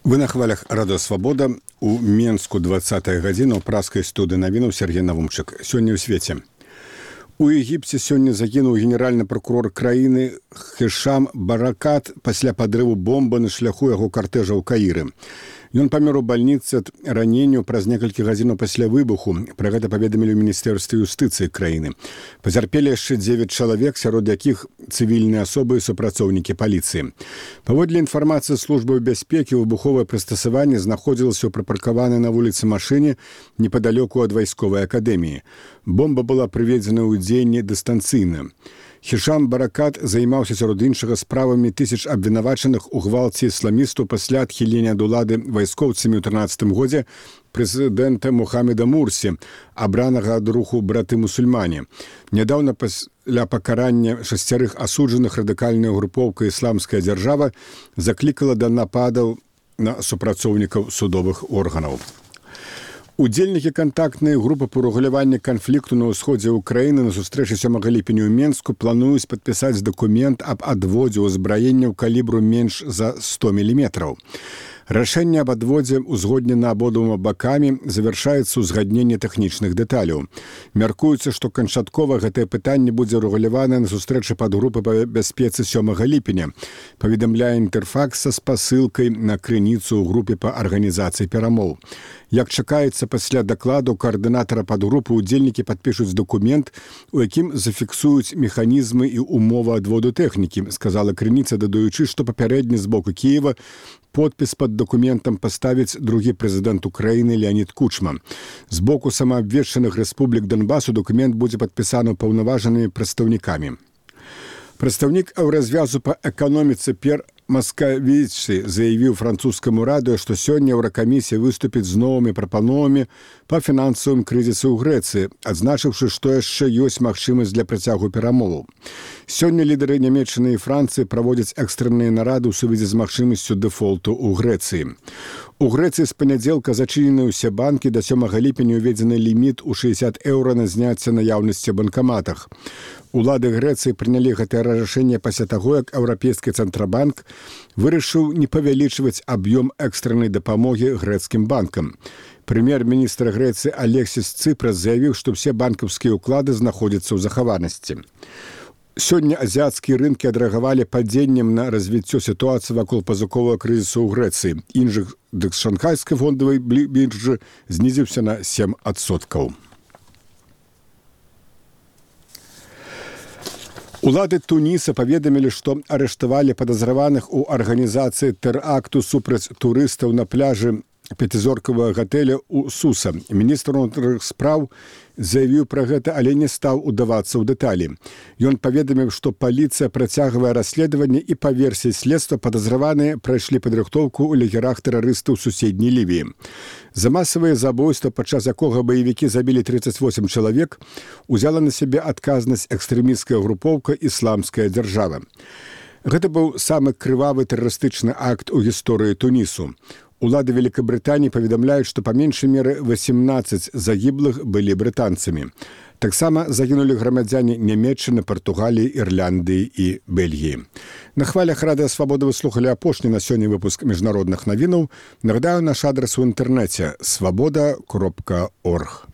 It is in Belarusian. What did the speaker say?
Вы на хвалях Радио Свабода. У Менску 20-я гадзіна ў праскай студыі навінаў Сергей Навумчык. Сёння ў свеце. У Егіпце сёння загінуў генеральны прокурор краіны Хішам Баракат пасля падрыву бомбы на шляху яго картэжа ў Каіры. Ён памёр у бальніцы ад раненняў праз некалькі гадзінаў пасля выбуху. Пра гэта паведамілі ў Міністэрстве юстыцыі краіны. Пацярпелі яшчэ 9 чалавек, сярод якіх цывільныя асобы і супрацоўнікі паліцыі. Паводле інфармацыі службы бяспекі, выбуховае прыстасаванне знаходзілася ў прыпаркаванай на вуліцы машыне непадалёку ад вайсковай акадэміі. Бомба была прыведзена ў дзеянне дыстанцыйна. Хішам Баракат займаўся сярод іншага справамі тысяч абвінавачаных у гвалце ісламістаў пасля адхілення ад улады вайскоўцамі ў 13 годзе прэзідэнта Мухаммеда Мурсі, абранага ад руху браты-мусульмане. Нядаўна пасля пакарання 6 асуджаных радыкальная групоўка «Ісламская дзяржава» заклікала да нападаў на супрацоўнікаў судовых органаў. Удзельнікі кантактнай групы па рэгуляванні канфлікту на ўсходзе ўкраіны на сустрэчы 7 ліпеня ў Менску плануюць падпісаць дакумент аб адводзе ўзбраенняў калібру менш за 100 мм. Рашэнне аб адводзе узгоднена абодвума бакамі, завяршаецца ўзгадненне тэхнічных дэталяў. Мяркуецца, што канчаткова гэтае пытанне будзе рэгуляванае на сустрэчы падгрупы па бяспецы 7 ліпеня, паведамляе Інтэрфакс са спасылкай на крыніцу ў групе па арганізацыі перамоў. Як чакаецца, пасля дакладу каардынатара падгрупы удзельнікі падпішуць дакумент, у якім зафіксуюць механізмы і умовы адводу тэхнікі, сказала крыніца, дадаючы, што папярэдні з боку Кіева подпіс пад дакументам паставіць другі прэзідэнт Украіны Леонід Кучма. З боку самаабвешчаных рэспублік Донбасу дакумент будзе падпісаны паўнаважанымі прадстаўнікамі. Прадстаўнік Еўразвязу па эканоміцы П'ер Маскавіці заявіў французскаму радыё, што сёння Еўракамісія выступіць з новымі прапановамі па фінансавым крызісу ў Грэцыі, адзначыўшы, што яшчэ ёсць магчымасць для працягу перамоваў. Сёння лідары Нямецчыны і Францыі праводзяць экстрэнныя нарады ў сувязі з магчымасцю дэфолту ў Грэцыі. У Грэцыі з панядзелка зачынены ўсе банкі, да 7 ліпеня ўведзены ліміт у 60 еўра на зняцце наяўнасці ў банкаматах. Улады Грэцыі прынялі гэтае рашэнне пасля таго, як Еўрапейскі цэнтрабанк вырашыў не павялічваць аб'ём экстрэннай дапамогі грэцкім банкам. Прэм'ер-міністр Грэцыі Алексіс Цыпрас заявіў, што ўсе банкаўскія ўклады знаходзяцца ў захаванасці. Сёння азіяцкія рынкі адрэагавалі падзеннем на развіццё сітуацыі вакол пазыковага крызісу ў Грэцыі. Індекс шанхайскай фондавай біржы знізіўся на 7%. Улады Туніса паведамілі, што арыштавалі падазраваных у арганізацыі тэракту супраць турыстаў на пляжы пяцізоркавага гатэля ў Суса. Міністр унутраных спраў заявіў пра гэта, але не стаў удавацца ў дэталі. Ён паведаміў, што паліцыя працягвае расследаванне і па версіі следства падазраваныя прайшлі падрыхтоўку ў лагерах тэрарыстаў суседняй Лівіі. За масавае забойства, падчас якога баевікі забілі 38 чалавек, узяла на сябе адказнасць экстрэмісцкая групоўка «Ісламская дзяржава». Гэта быў самы крывавы тэрарыстычны акт у гісторыі Тунісу. Улады Великабрытаніі паведамляюць, што па меншай меры 18 загіблых былі брытанцамі. Таксама загінулі грамадзяне Нямецчыны, Партугаліі, Ірландыі і Бельгіі. На хвалях Радыё Свабода вы слухалі апошні на сёння выпуск міжнародных навінаў. Нагадаю, наш адрас у інтэрнэце – swaboda.org.